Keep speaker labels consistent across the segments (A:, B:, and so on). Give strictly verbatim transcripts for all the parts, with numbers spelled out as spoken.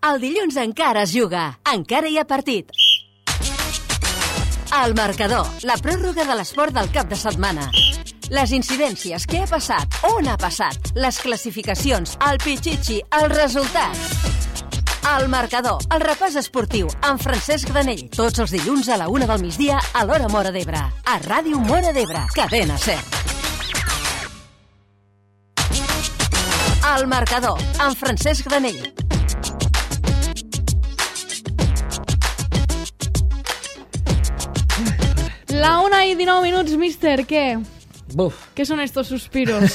A: El dilluns encara es juga, encara hi ha partit. El marcador, la pròrroga de l'esport del cap de setmana. Les incidències, què ha passat, on ha passat, les classificacions, el pitxitxi, els resultats. El marcador, el repàs esportiu, amb Francesc Granell, tots els dilluns a la una del migdia a l'hora Móra d'Ebre. A Ràdio Móra d'Ebre, cadena SER. El marcador, amb Francesc Granell.
B: La una i dinou minuts, míster, què?
C: Buf.
B: Què són estos suspiros?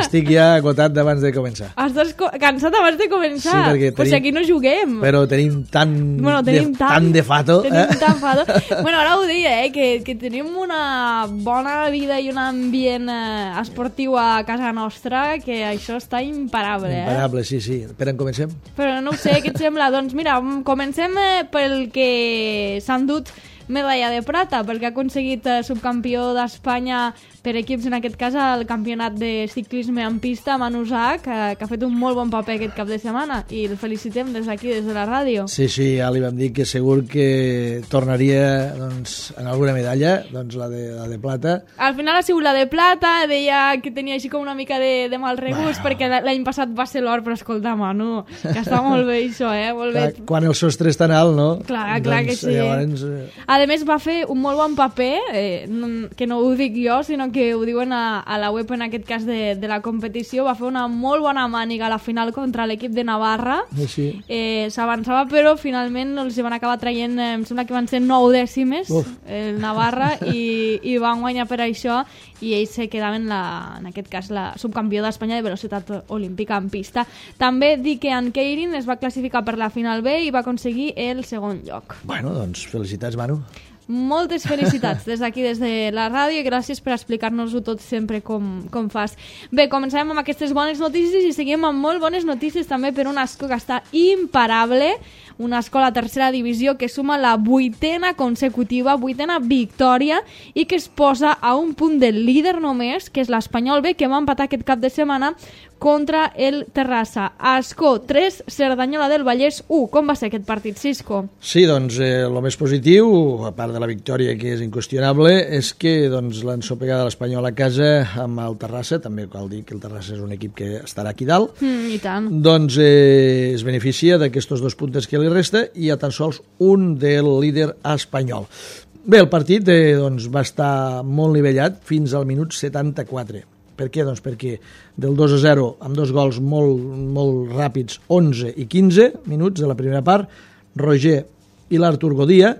C: Estic ja agotat d'abans de començar.
B: Estàs co- cansat abans de començar?
C: Sí, perquè
B: Pues si
C: tenim-
B: aquí no juguem.
C: Però tenim tan,
B: Bueno, tenim
C: de,
B: tant,
C: tan de fato.
B: Tenim
C: eh?
B: tan fato. Bueno, ara ho deia, eh, que, que tenim una bona vida i un ambient eh, esportiu a casa nostra, que això està imparable, eh?
C: Imparable, sí, sí. Per on comencem?
B: Però no ho sé, què et sembla? Doncs mira, comencem eh, pel que s'ha endut medalla de plata, perquè ha aconseguit eh, subcampió d'Espanya per equips, en aquest cas el campionat de ciclisme en pista, Manu Zach, que, que ha fet un molt bon paper aquest cap de setmana i el felicitem des d'aquí, des de la ràdio.
C: Sí, sí, ja li vam dir que segur que tornaria doncs, en alguna medalla, doncs la de, la de plata.
B: Al final ha sigut la de plata, deia que tenia així com una mica de, de mal regust, bueno, perquè l'any passat va ser l'or, però escolta, Manu, que està molt bé això, eh? Molt
C: Clar,
B: bé.
C: quan el sostre és tan alt, no?
B: Clar, clar
C: doncs,
B: que sí.
C: Llavors, eh,
B: A més, va fer un molt bon paper, eh, no, que no ho dic jo, sinó que ho diuen a, a la web, en aquest cas de, de la competició. Va fer una molt bona màniga a la final contra l'equip de Navarra.
C: sí.
B: Eh, S'avançava, però finalment els van acabar traient, eh, em sembla que van ser nou dècimes,
C: Uf.
B: el Navarra, i, i van guanyar per això, i ells se quedaven, la, en aquest cas, la subcampió d'Espanya de velocitat olímpica en pista. També dir que en Keirin es va classificar per la final B i va aconseguir el segon lloc.
C: Bueno, doncs felicitats, Manu.
B: Moltes felicitats des d'aquí, des de la ràdio, i gràcies per explicar-nos-ho tot sempre com, com fas. Bé, començarem amb aquestes bones notícies i seguim amb molt bones notícies també per una escola que està imparable, una escola tercera divisió que suma la vuitena consecutiva, vuitena victòria, i que es posa a un punt del líder només, que és l'Espanyol B, que va empatar aquest cap de setmana contra el Terrassa. Ascó tres, Cerdanyola del Vallès u. Com va ser aquest partit, Cisco?
C: Sí, doncs el eh, més positiu, a part de la victòria que és inqüestionable, és que doncs, l'ensopegada de l'Espanyol a casa amb el Terrassa, també cal dir que el Terrassa és un equip que estarà aquí dalt,
B: Mm, I tant.
C: doncs eh, es beneficia d'aquests dos puntes que li resta i a tan sols un del líder espanyol. Bé, el partit eh, doncs, va estar molt nivellat fins al minut setanta-quatre. Per què? Doncs perquè del dos a zero, amb dos gols molt, molt ràpids, onze i quinze minuts de la primera part, Roger i l'Artur Godia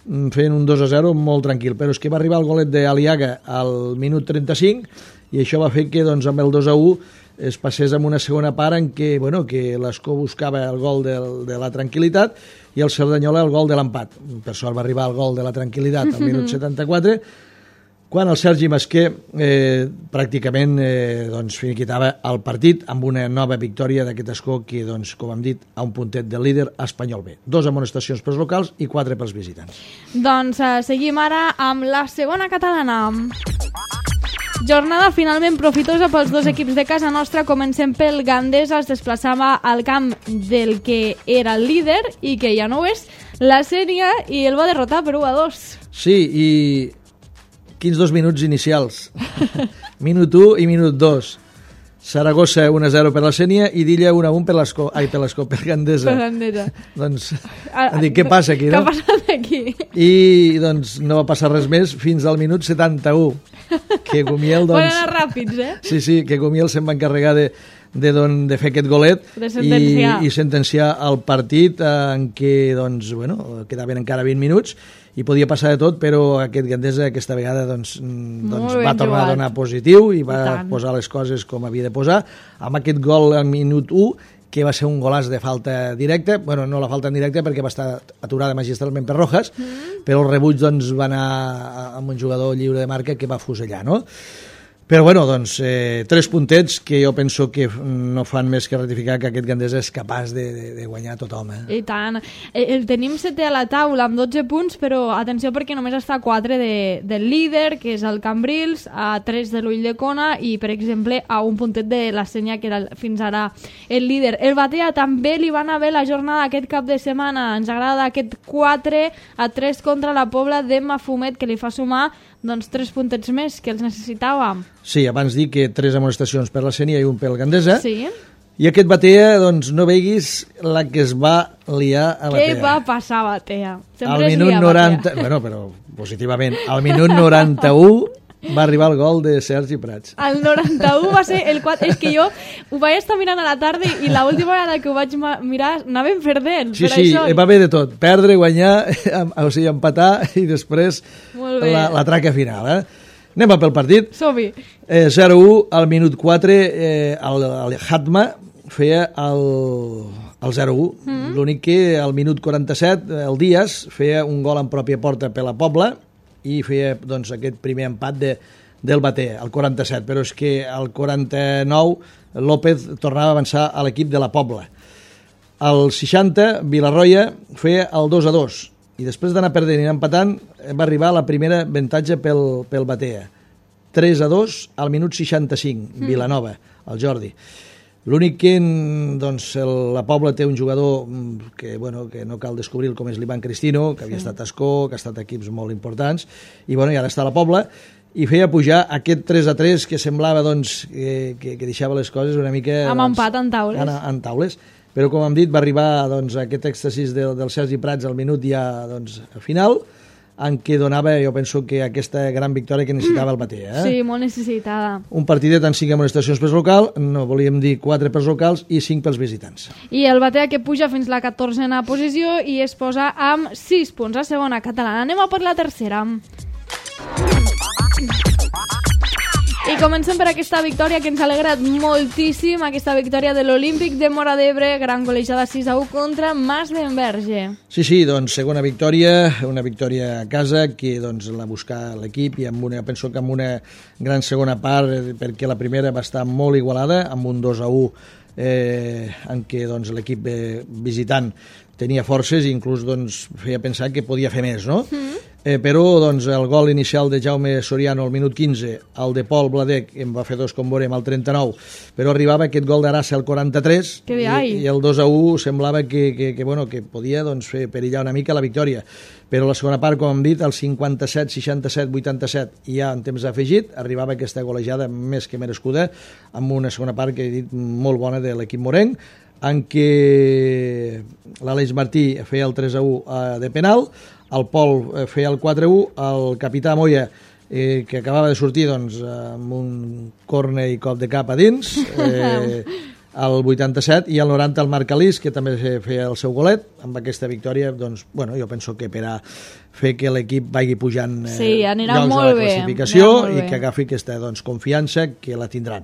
C: fent un dos a zero molt tranquil, però és que va arribar el golet d'Aliaga al minut trenta-cinc i això va fer que doncs, amb el dos a u es passés amb una segona part en què, bueno, que l'Escó buscava el gol de, de la tranquil·litat i el Cerdanyola el gol de l'empat. Per sort va arribar el gol de la tranquil·litat al minut setanta-quatre, quan el Sergi Masquer eh, pràcticament eh, doncs, finiquitava el partit amb una nova victòria d'aquest Escó que, doncs, com hem dit, a un puntet del líder espanyol B. Dos amonestacions pels locals i quatre pels visitants.
B: Doncs eh, seguim ara amb la segona catalana. Jornada finalment profitosa pels dos equips de casa nostra. Comencem pel Gandesa, es desplaçava al camp del que era el líder i que ja no ho és, la Sèrie, i el va derrotar per u a dos.
C: Sí, i quins dos minuts inicials. Minut u i minut dos. Saragossa un a zero per la Sènia i Dilla un a un per l'Escó, ai, per l'Escó, per Gandesa.
B: Per Gandesa.
C: Doncs,
B: Ah,
C: dic, què passa aquí,
B: Què
C: no?
B: ha passat aquí?
C: I doncs no va passar res més fins al minut setanta-u, que Gumiel,
B: Van
C: doncs...
B: anar ràpids, eh?
C: Sí, sí, que Gumiel se'n va encarregar de, de, don, de fer aquest golet
B: De sentenciar.
C: i, i sentenciar el partit eh, en què doncs, bueno, quedaven encara vint minuts i podia passar de tot, però aquest Gandesa aquesta vegada doncs, mm, doncs
B: ben
C: va tornar
B: jugat.
C: a donar positiu i va
B: I tant.
C: posar les coses com havia de posar, amb aquest gol al minut u, que va ser un golaç de falta directa, bueno, no la falta en directe perquè va estar aturada magistralment per Rojas, mm. però el rebuig doncs, va anar amb un jugador lliure de marca que va fusellar, no? Però, bueno, doncs, eh, tres puntets que jo penso que no fan més que ratificar que aquest Gandesa és capaç de, de, de guanyar tothom. Eh?
B: I tant. El tenim setè a la taula amb dotze punts, però atenció perquè només està a quatre de, del líder, que és el Cambrils, a tres de l'Ulldecona i, per exemple, a un puntet de la Senya, que era fins ara el líder. El Batea també li va anar bé la jornada aquest cap de setmana. Ens agrada aquest quatre a tres contra la Pobla de Mafumet, que li fa sumar doncs tres puntets més que els necessitàvem.
C: Sí, abans dic que tres amonestacions per la Sénia i un pel Gandesa.
B: Sí.
C: I aquest Batea, doncs no veguis la que es va liar a Batea.
B: Què va passar a Batea?
C: Al minut noranta... Bueno, però positivament. Al minut noranta-u va arribar el gol de Sergi Prats.
B: El noranta-u va ser el quatre... És que jo ho vaig estar mirant a la tarda i l'última vegada que ho vaig mirar anàvem perdent.
C: Sí,
B: per
C: sí,
B: això...
C: va bé de tot. Perdre, guanyar, o sigui, empatar i després la, la traca final. Eh? Anem a pel partit.
B: Som-hi.
C: Eh, zero u, al minut quatre, eh, el, el Hatma feia el, el zero u. Mm-hmm. L'únic que al minut quaranta-set el Díaz feia un gol en pròpia porta per la Pobla i feia doncs, aquest primer empat de, del Batea, al quaranta-set, però és que al quaranta-nou López tornava a avançar a l'equip de la Pobla. Al seixanta, Vilarroia feia el dos a dos, i després d'anar perdent i empatant, va arribar a la primera avantatge pel, pel Batea. tres a dos al minut seixanta-cinc, mm. Vilanova, el Jordi. L'únic que doncs, el, la Pobla té un jugador que, bueno, que no cal descobrir com és l'Ivan Cristino, que havia sí. estat a Escó, que ha estat a equips molt importants, i, bueno, i ara està a la Pobla, i feia pujar aquest tres a tres que semblava doncs, que, que, que deixava les coses una mica...
B: Amb
C: doncs,
B: empat en taules.
C: En, en taules. Però, com hem dit, va arribar doncs, aquest èxtasis del, del Sergi Prats al minut ja doncs, al final, en què donava, jo penso, que aquesta gran victòria que necessitava el Batea. Eh?
B: Sí, molt necessitada.
C: Un partidet amb cinc amonestacions pels locals, no volíem dir quatre pels locals i cinc pels visitants.
B: I el Batea que puja fins la catorzena posició i es posa amb sis punts a segona catalana. Anem a per la tercera. I comencem per aquesta victòria que ens ha alegrat moltíssim, aquesta victòria de l'Olímpic de Móra d'Ebre, gran golejada sis a u contra Mas d'Enverge.
C: Sí, sí, doncs segona victòria, una victòria a casa que doncs, la busca l'equip i amb una, penso que amb una gran segona part, perquè la primera va estar molt igualada, amb un dos a u eh, en què doncs, l'equip eh, visitant tenia forces i inclús doncs, feia pensar que podia fer més, no? Mm. Eh, però doncs, el gol inicial de Jaume Soriano al minut quinze, el de Pol Bladec en va fer dos com veurem al trenta-nou, però arribava aquest gol d'Arassa al quaranta-tres i, i el dos a u semblava que, que, que, bueno, que podia doncs, fer perillar una mica la victòria, però la segona part, com hem dit, el cinquanta-set, seixanta-set, vuitanta-set i ja en temps afegit arribava aquesta golejada més que merescuda amb una segona part que he dit molt bona de l'equip morenc, en què l'Aleix Martí feia el tres a u de penal, el Pol feia el quatre a u, el capità Moya, eh, que acabava de sortir doncs, amb un córner i cop de cap a dins, eh, al vuitanta-set, i al noranta el Marc Alís, que també feia el seu golet. Amb aquesta victòria, doncs, bueno, jo penso que per a fer que l'equip vagi pujant eh,
B: sí, anirà
C: llocs
B: molt
C: de la
B: bé,
C: classificació
B: molt
C: i
B: bé.
C: que agafi aquesta doncs, confiança que la tindran.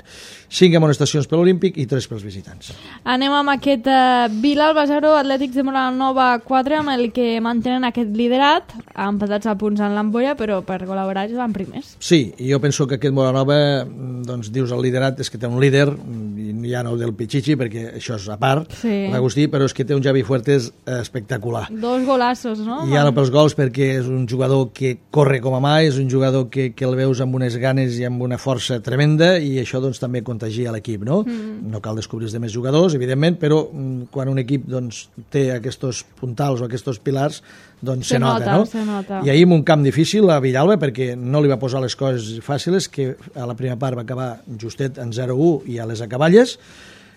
C: Cinc amonestacions per l'Olímpic i tres pels visitants.
B: Anem amb aquest uh, Vilalba zero, Atlètics de Moranova quatre, amb el que mantenen aquest liderat, empatats a punts en l'ampolla, però per col·laborar van primers.
C: Sí, i jo penso que aquest Moranova, doncs dius el liderat, és que té un líder, i ja no del Pichichi, perquè això és a part,
B: sí.
C: l'Agustí, però és que té un Javi Fuertes espectacular.
B: Dos golassos, no?
C: I ara pels gols, perquè és un jugador que corre com a mai, és un jugador que, que el veus amb unes ganes i amb una força tremenda, i això doncs, també contagia l'equip, no? Mm. No cal descobrir els demés jugadors, evidentment, però quan un equip doncs, té aquests puntals o aquests pilars, doncs se, se nota, nota, no?
B: Se nota.
C: I ahir en un camp difícil a Villalba, perquè no li va posar les coses fàcils, que a la primera part va acabar justet en zero a u i a les acaballes,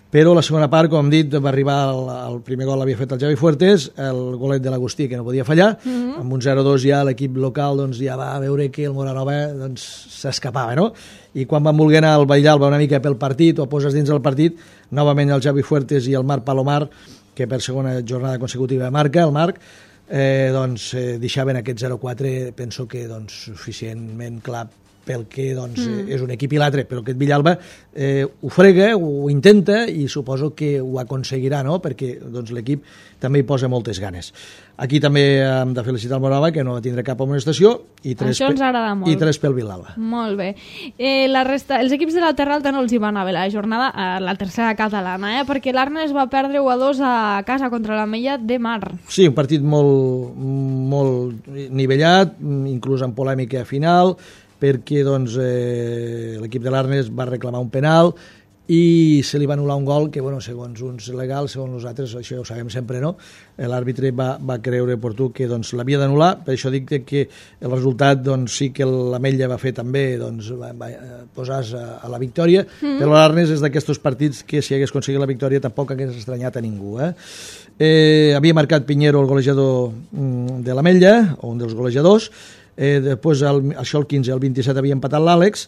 C: però la segona part, com hem dit, va arribar el, el primer gol l'havia fet el Javi Fuertes, el golet de l'Agustí, que no podia fallar, mm-hmm. amb un zero a dos ja l'equip local doncs, ja va veure que el Moranova doncs, s'escapava, no? I quan van voler anar al Villalba una mica pel partit, o poses dins del partit, novament el Javi Fuertes i el Marc Palomar, que per segona jornada consecutiva marca, el Marc, eh, doncs eh, deixaven aquest zero a quatre, penso que doncs, suficientment clar pel que doncs, mm. és un equip i l'altre, però aquest Villalba eh, ho frega, ho intenta i suposo que ho aconseguirà, no? Perquè doncs, l'equip també hi posa moltes ganes. Aquí també hem de felicitar el Morava, que no va tindre cap amonestació, i tres,
B: Això ens agrada molt.
C: i tres pel Villalba.
B: Molt bé. Eh, la resta, els equips de la Terra Alta no els hi va anar bé la jornada a la tercera catalana, eh? Perquè l'Arnes va perdre u a dos a casa contra la Mella de Mar.
C: Sí, un partit molt, molt nivellat, inclús amb polèmica final, perquè doncs, eh, l'equip de l'Arnes va reclamar un penal i se li va anul·lar un gol que, bueno, segons uns legals, segons nosaltres, això ja ho sabem sempre, no? L'àrbitre va, va creure oportú que doncs, l'havia d'anul·lar, per això dic que el resultat doncs, sí que l'Ametlla va fer també doncs, va, va posar-se a, a la victòria, mm. però l'Arnes és d'aquests partits que si hagués aconseguit la victòria tampoc hagués estranyat a ningú. Eh? Eh, havia marcat Piñero el golejador de l'Ametlla, o un dels golejadors. Eh, després, el, això el quinze, el vint-i-set havia empatat l'Àlex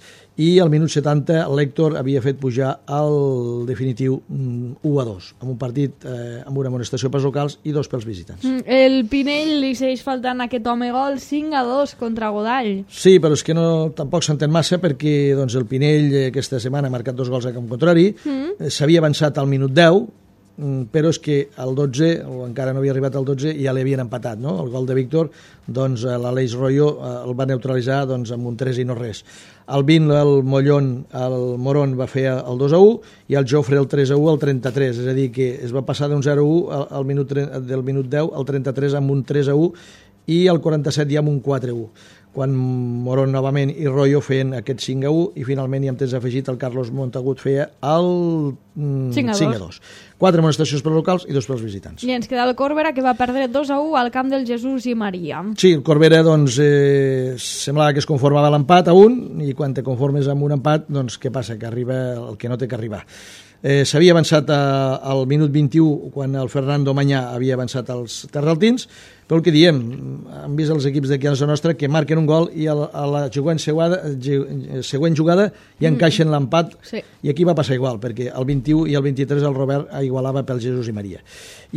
C: i al minut setanta l'Héctor havia fet pujar al definitiu u a dos, amb un partit eh, amb una amonestació pels locals i dos pels visitants.
B: El Pinell li segueix faltant aquest home gol, cinc a dos contra Godall.
C: Sí, però és que no, tampoc s'entén massa perquè doncs, el Pinell eh, aquesta setmana ha marcat dos gols a camp contrari, mm. eh, s'havia avançat al minut deu, però és que al dotze, o encara no havia arribat al dotze, ja l'havien empatat, no? El gol de Víctor, doncs l'Aleix Royo el va neutralitzar doncs, amb un tres i no res. Al vint, el Mollón, el Moron va fer el dos a u i el Jofre el tres a u al trenta-tres, és a dir, que es va passar d'un zero a u al, al minut, del minut deu al trenta-tres amb un tres a u i al quaranta-set ja amb un quatre a u. Quan Moron novament i Royo feien aquest cinc a u i finalment hi hem temps afegit el Carlos Montagut feia el mm, cinc a dos. Quatre amonestacions pels locals i dos pels visitants.
B: I ens queda el Corbera, que va perdre dos a u al camp del Jesús i Maria.
C: Sí, el Corbera doncs, eh, semblava que es conformava l'empat a un i quan te conformes amb un empat, doncs què passa? Que arriba el que no té que arribar. Eh, s'havia avançat a, al minut vint-i-u quan el Fernando Mañà havia avançat als terraltins, però el que diem, hem vist els equips d'aquí a la nostra que marquen un gol i a la, a la següent, jugada, següent jugada ja encaixen l'empat, sí. I aquí va passar igual, perquè el vint-i-u i el vint-i-tres el Robert igualava pel Jesús i Maria.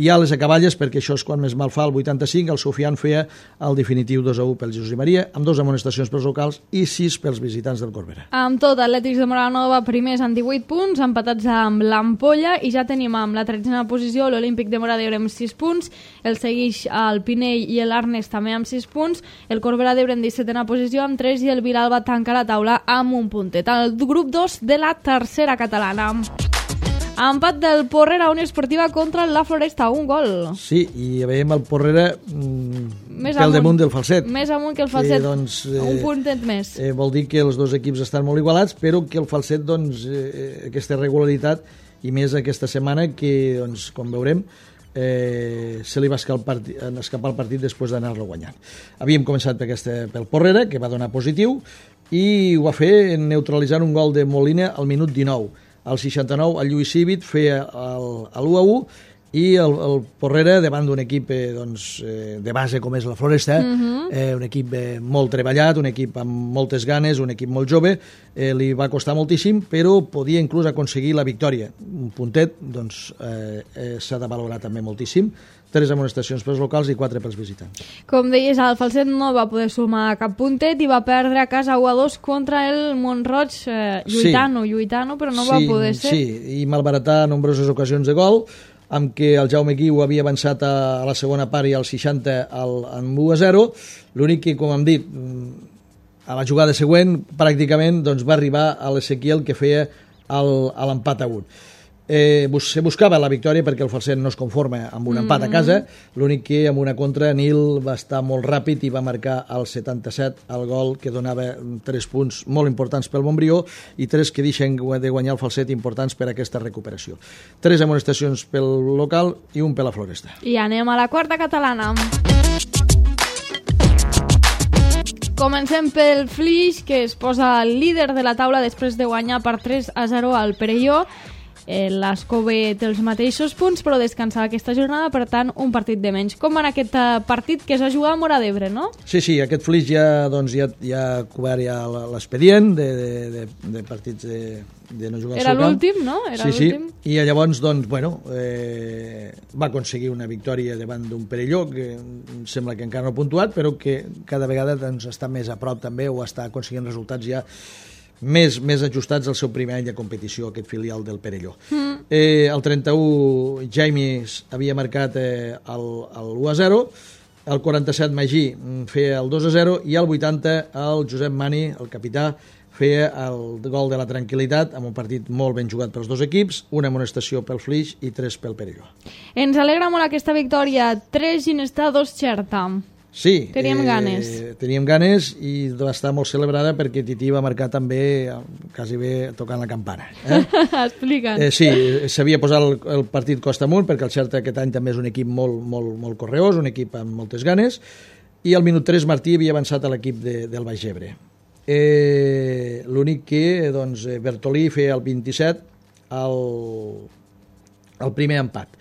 C: I a les acaballes, perquè això és quan més mal fa, el vuitanta-cinc, el Sofian feia el definitiu dos a u pel Jesús i Maria, amb dos amonestacions pels locals i sis pels visitants del Corbera.
B: Amb tot, Atlètics de Moranova primers amb divuit punts, empatats amb l'Ampolla, i ja tenim amb la tretzena posició l'Olímpic de Móra d'Ebre amb sis punts, el segueix el Pinell i l'Arnes també amb sis punts, el Corbera d'Ebre en dissetena posició amb tres i el Vilalba tanca la taula amb un puntet. El grup dos de la tercera catalana. Empat del Porrera Unió Esportiva contra la Floresta, un gol.
C: Sí, i veiem el Porrera mm,
B: més
C: pel
B: amunt,
C: damunt del Falset.
B: Més amunt que el Falset,
C: que, doncs, eh,
B: un puntet més.
C: Eh, vol dir que els dos equips estan molt igualats, però que el Falset, doncs, eh, aquesta regularitat, i més aquesta setmana, que, doncs, com veurem, eh, se li va escapar, escapar el partit després d'anar-lo guanyant. Havíem començat per aquesta, pel Porrera, que va donar positiu, i ho va fer neutralitzant un gol de Molina al minut dinou. Al seixanta-nou el Lluís Cívit feia l'u a u i el, el Porrera, davant d'un equip eh, doncs, eh, de base com és la Floresta, uh-huh. eh, un equip eh, molt treballat, un equip amb moltes ganes, un equip molt jove, eh, li va costar moltíssim, però podia inclús aconseguir la victòria. Un puntet doncs, eh, eh, s'ha de valorar també moltíssim. Tres amonestacions pels locals i quatre pels visitants.
B: Com deies, el Falset no va poder sumar cap puntet i va perdre a casa u a dos contra el Montroig, eh, lluitano, sí. lluitano, però no sí, va poder ser.
C: Sí, i malbaratar nombroses ocasions de gol, amb què el Jaume Guiu havia avançat a, a la segona part i al seixanta al, amb u a zero. L'únic que, com hem dit, a la jugada següent, pràcticament doncs, va arribar a l'Ezequiel que feia l'empat a un. Eh, se buscava la victòria perquè el Falset no es conforma amb un empat a casa, l'únic que amb una contra Nil va estar molt ràpid i va marcar al setanta-set el gol que donava tres punts molt importants pel Montbrió i tres que deixen de guanyar el Falset importants per a aquesta recuperació. Tres amonestacions pel local i un per la Floresta.
B: I anem a la quarta catalana. Comencem pel Flix, que es posa líder de la taula després de guanyar per tres a zero al Perelló. eh, l'Ascó B té els mateixos punts, però descansava aquesta jornada, per tant, un partit de menys. Com va anar aquest eh, partit que es va jugar a Móra d'Ebre, no?
C: Sí, sí, aquest Flix ja, doncs, ja, ja ha cobert ja l'expedient de, de, de, de partits de, de no jugar al
B: Era
C: seu camp.
B: l'últim, no? Era
C: sí,
B: l'últim.
C: sí, i llavors, doncs, bueno, eh, va aconseguir una victòria davant d'un Perelló que em sembla que encara no ha puntuat, però que cada vegada doncs, està més a prop també o està aconseguint resultats ja més, més ajustats al seu primer any de competició, aquest filial del Perelló. Mm. Eh, el trenta-u Jaime havia marcat eh, el, el u a zero, el quaranta-set Magí feia el dos a zero i el vuitanta el Josep Mani, el capità, feia el gol de la tranquil·litat amb un partit molt ben jugat pels dos equips, una amonestació pel Flix i tres pel Perelló.
B: Ens alegra molt aquesta victòria. tres Ginestà, dos Xerta.
C: Sí,
B: Teníem
C: eh,
B: ganes.
C: Teníem ganes i va estar molt celebrada perquè Tití va marcar també quasi bé tocant la campana. Eh?
B: Explica'ns.
C: Eh, sí, s'havia posat el, el partit costa amunt perquè el Xerta aquest any també és un equip molt, molt, molt correós, un equip amb moltes ganes, i al minut tres Martí havia avançat a l'equip de, del Baix Ebre. Eh, l'únic que doncs, Bertolí feia el vint-i-set el, el primer empat.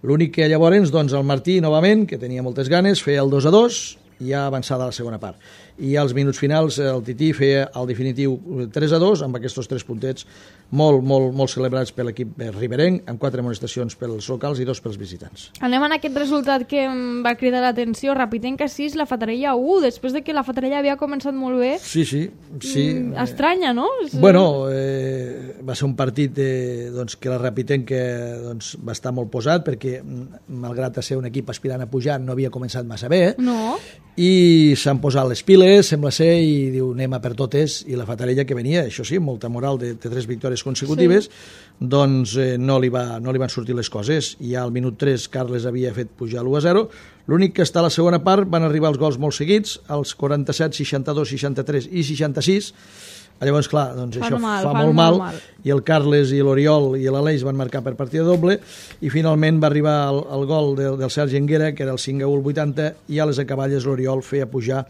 C: L'únic que llavors doncs, el Martí novament, que tenia moltes ganes, feia el dos a dos i ja avançada a la segona part. I als minuts finals el Tití feia el definitiu tres a dos amb aquests tres puntets molt, molt, molt celebrats per l'equip riberenc, amb quatre amonestacions pels locals i dos pels visitants.
B: Anem a aquest resultat que em va cridar l'atenció. Rapitenca sis, la Fatarella u, després de que la Fatarella havia començat molt bé.
C: Sí, sí. sí.
B: Mm, estranya, no?
C: Bueno, eh, va ser un partit eh, doncs, que la Rapitenca doncs, va estar molt posat perquè, malgrat ser un equip aspirant a pujar, no havia començat massa bé. Eh?
B: No.
C: I s'han posat les piles, sembla ser, i diu, anem a per totes, i la Fatarella que venia, això sí, molta moral de, de tres victòries consecutives, sí. doncs eh, no, li va, no li van sortir les coses, i al minut tres Carles havia fet pujar l'u a zero, l'únic que està a la segona part van arribar els gols molt seguits, els quaranta-set, seixanta-dos, seixanta-tres i seixanta-sis, llavors, clar, doncs
B: fa
C: això
B: mal,
C: fa
B: fa
C: molt mal,
B: mal,
C: i el Carles i l'Oriol i l'Aleix van marcar per partida doble, i finalment va arribar el, el gol del, del Sergi Enguera, que era el cinc a u al vuitanta, i a les acaballes l'Oriol feia pujar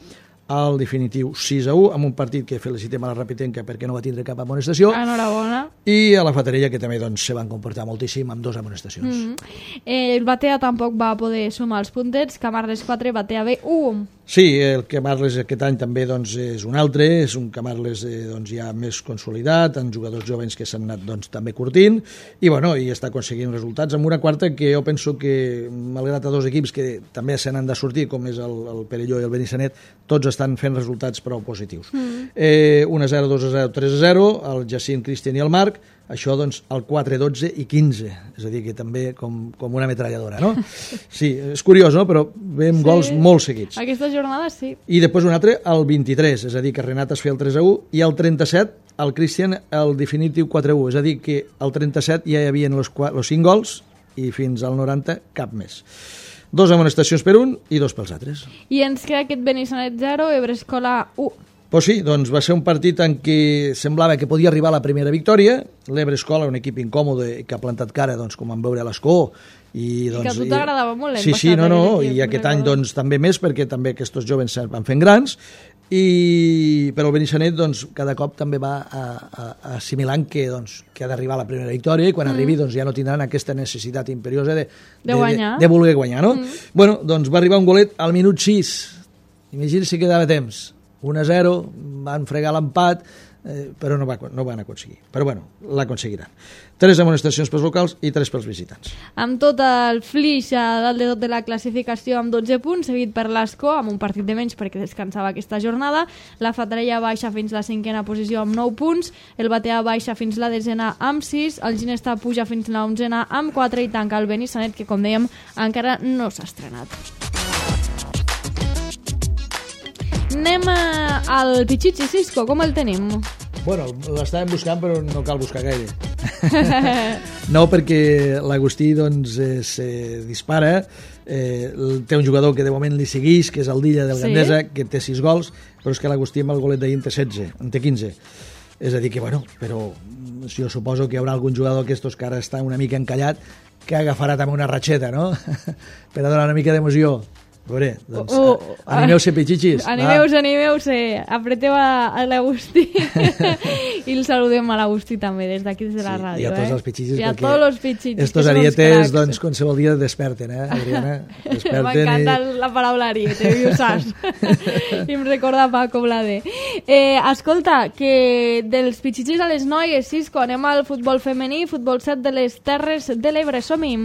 C: al definitiu sis a u, amb un partit que felicitem a la Rapitenca perquè no va tindre cap amonestació.
B: Enhorabona.
C: I a la Fatarella, que també doncs, se van comportar moltíssim amb dues amonestacions.
B: Mm -hmm. eh, el Batea tampoc va poder sumar els puntets, Camarles quatre, Batea B u.
C: Sí, el Camarles aquest any també doncs, és un altre, és un Camarles eh, doncs, ja més consolidat, amb jugadors jovens que s'han anat doncs, també curtint, i, bueno, i està aconseguint resultats amb una quarta que jo penso que, malgrat a dos equips que també se n'han de sortir, com és el, el Perelló i el Benissanet, tots estan fent resultats prou positius. Mm. Eh, un a zero, dos a zero, tres a zero, el Jacint, Cristian i el Marc, això doncs el quatre, dotze i quinze, és a dir que també com, com una metralladora, no? Sí, és curiós, no? Però veiem sí. gols molt seguits.
B: Aquesta jornada sí.
C: I després un altre, el vint-i-tres, és a dir que Renat es feia el tres a u, i el trenta-set, el Cristian, el definitiu quatre a u, és a dir que el trenta-set ja hi havia els cinc gols i fins al noranta cap més. Dos amonestacions per un i dos pels altres.
B: I ens queda aquest Benissanet zero, Ebrescola u.
C: Pues sí, doncs va ser un partit en què semblava que podia arribar a la primera victòria. L'Ebre Escola, un equip incòmode que ha plantat cara, doncs, com en veure a l'Escó. I, doncs,
B: I que a tu t'agradava molt l'any
C: sí,
B: passat.
C: Sí, no, no,
B: equip,
C: i aquest any doncs, també més, perquè també aquests jovens es van fent grans. I, però el Benissanet doncs, cada cop també va a, a, a assimilant que, doncs, que ha d'arribar a la primera victòria i quan mm. arribi doncs, ja no tindran aquesta necessitat imperiosa de,
B: de, guanyar.
C: de, de voler guanyar. No? Mm. Bueno, doncs va arribar un golet al minut sis. Imagina si quedava temps. un a zero, van fregar l'empat, eh, però no, va, no van aconseguir. Però bueno, l'aconseguiran. Tres amonestacions pels locals i tres pels visitants.
B: Amb tot el Flix a dalt de tot de la classificació amb dotze punts, seguit per l'Escó amb un partit de menys perquè descansava aquesta jornada. La Fatarella baixa fins la cinquena posició amb nou punts, el Batea baixa fins la desena amb sis, el Ginestà puja fins la onzena amb quatre i tanca el Benissanet, que com dèiem encara no s'ha estrenat. Anem al Pichichi, Cisco, com el tenim?
C: Bueno, l'estàvem buscant, però no cal buscar gaire. No, perquè l'Agustí doncs, es eh, dispara, eh, té un jugador que de moment li segueix, que és el Dilla del sí? Gandesa, que té sis gols, però és que l'Agustí amb el golet d'ahir en té setze, en té quinze. És a dir que, bueno, però jo suposo que hi haurà algun jugador d'aquestos que ara està una mica encallat, que agafarà també una ratxeta, no? Per a donar una mica d'emoció. A veure, doncs,
B: Uh,
C: uh, animeu-se, pitxitxis.
B: Animeu-se, animeu-se. Apreteu a, a l'Agustí. I el saludem a l'Agustí també, des d'aquí, des de la
C: Sí,
B: ràdio.
C: i a tots
B: eh?
C: els pitxitxis,
B: I a
C: perquè
B: tots els pitxitxis.
C: estos arietes, doncs, qualsevol dia desperten, eh, Adriana? Desperten
B: M'encanta
C: i...
B: la paraula ariete, i ho saps. I em recorda Paco Blade. Eh, escolta, que dels pitxitxis a les noies, Cisco, anem al futbol femení, futbol set de les Terres de l'Ebre, som-hi.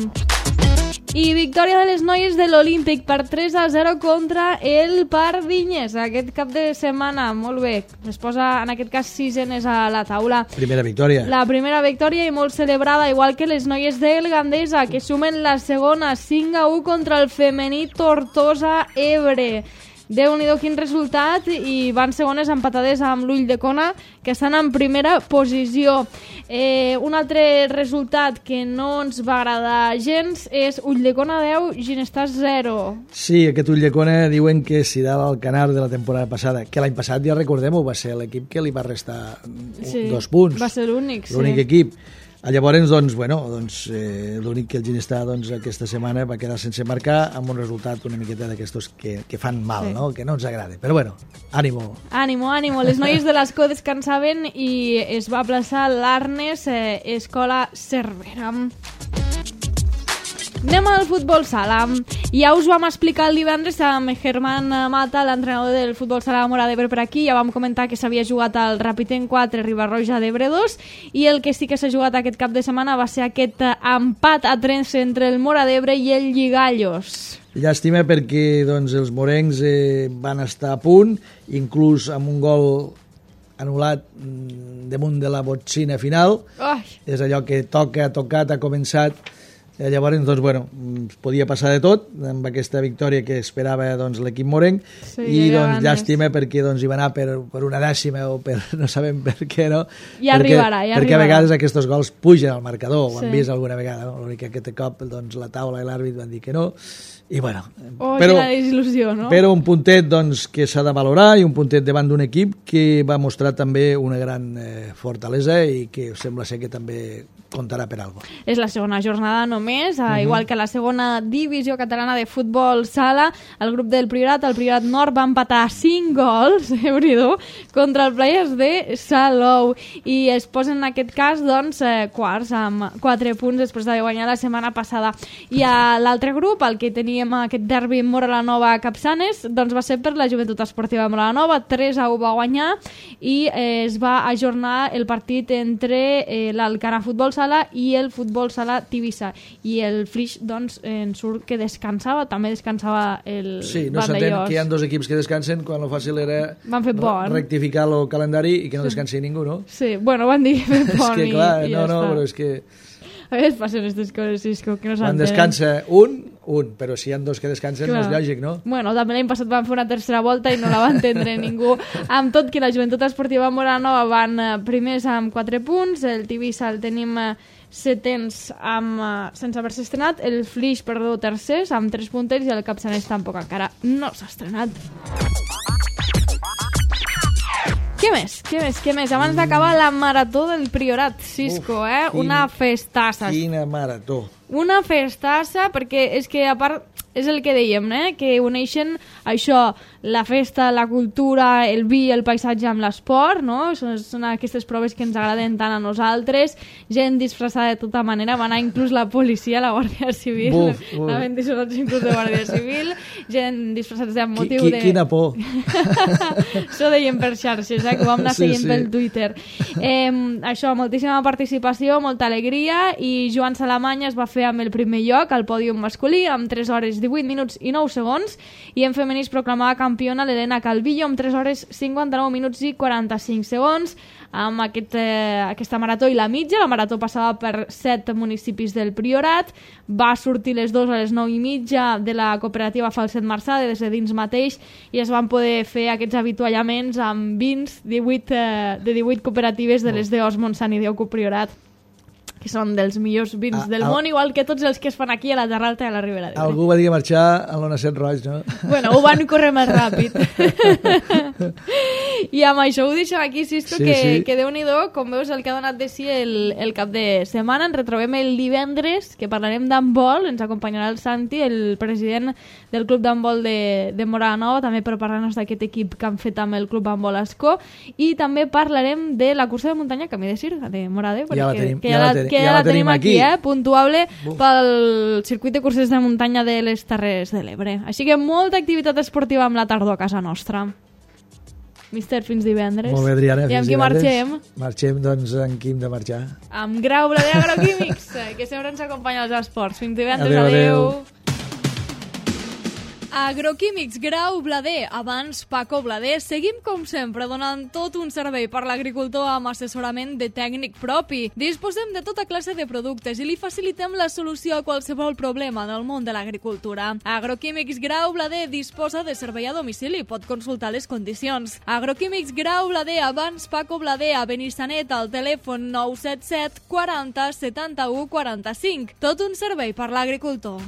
B: I victòria de les noies de l'Olímpic per tres a zero contra el Pardinyes aquest cap de setmana, molt bé, es posa en aquest cas sisenes a la taula.
C: Primera victòria.
B: La primera victòria i molt celebrada, igual que les noies del Gandesa, que sumen la segona, cinc a u contra el femení Tortosa Ebre. Déu-n'hi-do quin resultat, i van segones empatades amb l'Ull de Cona, que estan en primera posició. Eh, un altre resultat que no ens va agradar gens és Ull de Cona deu, Ginestar zero.
C: Sí, aquest Ull de Cona diuen que serà l'Alcanar de la temporada passada, que l'any passat, ja recordem-ho, va ser l'equip que li va restar
B: Sí,
C: dos punts.
B: va ser l'únic, sí.
C: L'únic equip. Llavors, doncs, bueno, doncs, eh, l'únic que el Ginestar doncs, aquesta setmana va quedar sense marcar amb un resultat una miqueta d'aquestos que, que fan mal,
B: Sí.
C: no? Que no ens agrada. Però bueno, ànimo.
B: Ànimo, ànimo. Les noies de l'Escó descansaven i es va plaçar l'Arnes eh, Escola Cervera. Anem al futbol sala. Ja us vam explicar el divendres amb Germán Mata, l'entrenador del futbol sala de Móra d'Ebre per aquí. Ja vam comentar que s'havia jugat al Rapiten quatre, Ribarroja d'Ebre dos, i el que sí que s'ha jugat aquest cap de setmana va ser aquest empat a trens entre el Móra d'Ebre i el Lligallos.
C: Llàstima perquè doncs, els morencs eh, van estar a punt, inclús amb un gol anul·lat mm, damunt de la botzina final.
B: Ai.
C: És allò que toca, ha tocat, ha començat. Eh, llavors, doncs, bueno, es podia passar de tot amb aquesta victòria que esperava doncs, l'equip morenc,
B: Sí,
C: i
B: ja
C: doncs,
B: ganes.
C: llàstima perquè doncs, hi va anar per, per una dècima o per no sabem per què, no?
B: Ja
C: perquè,
B: arribarà, ja
C: perquè
B: arribarà.
C: a vegades aquests gols pugen al marcador, ho
B: Sí.
C: han vist alguna vegada, no? L'únic que aquest cop doncs, la taula i l'àrbit van dir que no, i bueno,
B: Oh,
C: però,
B: quina desil·lusió, no?
C: però un puntet doncs, que s'ha de valorar, i un puntet davant d'un equip que va mostrar també una gran eh, fortalesa i que sembla ser que també comptarà per alguna cosa.
B: És la segona jornada només, uh -huh. igual que la segona divisió catalana de futbol sala. El grup del Priorat, el Priorat Nord, va empatar cinc gols, Déu-n'hi-do, contra el Players de Salou, i es posen en aquest cas doncs, eh, quarts amb quatre punts després de guanyar la setmana passada. I a l'altre grup, el que teníem aquest derbi Móra-la-Nova Capçanes, doncs va ser per la Joventut Esportiva de Móra-la-Nova, tres a u va guanyar, i eh, es va ajornar el partit entre eh, l'Alcanar Futbol Sala i el Futbol Sala Tivissa, i el Flix doncs en surt que descansava, també descansava el
C: Sí, no s'entén
B: Vandellós.
C: que hi ha dos equips que descansen quan el fàcil era
B: Van fer pont.
C: rectificar el calendari i que no descansi ningú, no?
B: Sí, bueno, van dir que
C: És
B: pont
C: que
B: i,
C: clar,
B: i
C: no,
B: ja
C: no,
B: està.
C: però és que
B: A vegades passen aquestes coses, Cisco, que no
C: quan
B: s'entenen.
C: descansa un, un, però si hi ha dos que descansen no és
B: Clar.
C: lògic, no?
B: Bueno, també l'any passat van fer una tercera volta i no la va entendre ningú. Amb tot que la Joventut Esportiva Móra-la-Nova van eh, primers amb quatre punts, el Tivissa el tenim eh, setens amb, eh, sense haver-se estrenat, el Flix, perdó, tercers amb tres punters, i el Capçaners tampoc encara no s'ha estrenat. Què més? Què més? Què més? Abans d'acabar la marató del Priorat, Cisco,
C: Uf,
B: eh?
C: quin-
B: Una festassa.
C: Quina marató.
B: Una festassa, perquè és que a part és el que dèiem, eh? Que uneixen això, la festa, la cultura, el vi, el paisatge amb l'esport, no? Són, són aquestes proves que ens agraden tant a nosaltres, gent disfressada de tota manera, va anar inclús la policia, la Guàrdia Civil,
C: Buf, uf.
B: anaven disfressats inclús de Guàrdia Civil, gent disfressats amb
C: Qui,
B: motiu
C: qui,
B: de...
C: Quina por.
B: Això deien per xarxes, eh, que ho vam anar
C: Sí,
B: seguint
C: sí.
B: pel Twitter. Eh, això, moltíssima participació, molta alegria, i Joan Salamanya es va fer amb el primer lloc al pòdium masculí, amb tres hores divuit minuts i nou segons, i en femení es proclamava campiona l'Helena Calvillo amb tres hores cinquanta-nou minuts i quaranta-cinc segons, amb aquest, eh, aquesta marató i la mitja. La marató passava per set municipis del Priorat, va sortir les dues a les nou i mitja de la cooperativa Falset Marçà, des de dins mateix, i es van poder fer aquests avituallaments amb vins divuit, eh, de divuit cooperatives de les d'Os, Montsant i Déu Priorat, que són dels millors vins
C: Ah,
B: del
C: al-
B: món, igual que tots els que es fan aquí a la Terra Alta i a la Ribera d'Ebre.
C: Algú va dir que marxar a l'Ona Set Roig, no?
B: Bueno, ho van córrer més ràpid. I amb això ho deixem aquí, Sisco,
C: Sí,
B: que,
C: sí.
B: que Déu-n'hi-do, com veus, el que ha donat de si el, el cap de setmana. Ens retrobem el divendres, que parlarem d'handbol. Ens acompanyarà el Santi, el president del club d'handbol de, de Morada Nova, també per parlar-nos d'aquest equip que han fet amb el club handbol Ascó. I també parlarem de la cursa de muntanya Camí de Sir, de Morada,
C: Ja la
B: que,
C: tenim,
B: que
C: ja
B: ja
C: la
B: la,
C: tenim-
B: que
C: ja
B: ja
C: la
B: la tenim
C: tenim
B: aquí,
C: aquí.
B: eh? Puntuable
C: Buf.
B: pel circuit de curses de muntanya de les Terres de l'Ebre. Així que molta activitat esportiva amb la tardor a casa nostra. Mister, fins divendres.
C: Molt bé, Adriana,
B: I amb
C: fins
B: qui
C: divendres.
B: marxem?
C: Marxem, doncs, amb qui hem de marxar?
B: Amb Grau Blader Agroquímics, eh, que sempre ens acompanya als esports. Fins divendres,
C: Adéu,
B: adéu.
C: adéu.
B: Agroquímics Grau Blader, abans Paco Blader. Seguim, com sempre, donant tot un servei per l'agricultor amb assessorament de tècnic propi. Disposem de tota classe de productes i li facilitem la solució a qualsevol problema del món de l'agricultura. Agroquímics Grau Blader disposa de servei a domicili. Pot consultar les condicions. Agroquímics Grau Blader, abans Paco Blader, a Benissanet, al telèfon nou set set quaranta setanta-u quaranta-cinc. Tot un servei per l'agricultor.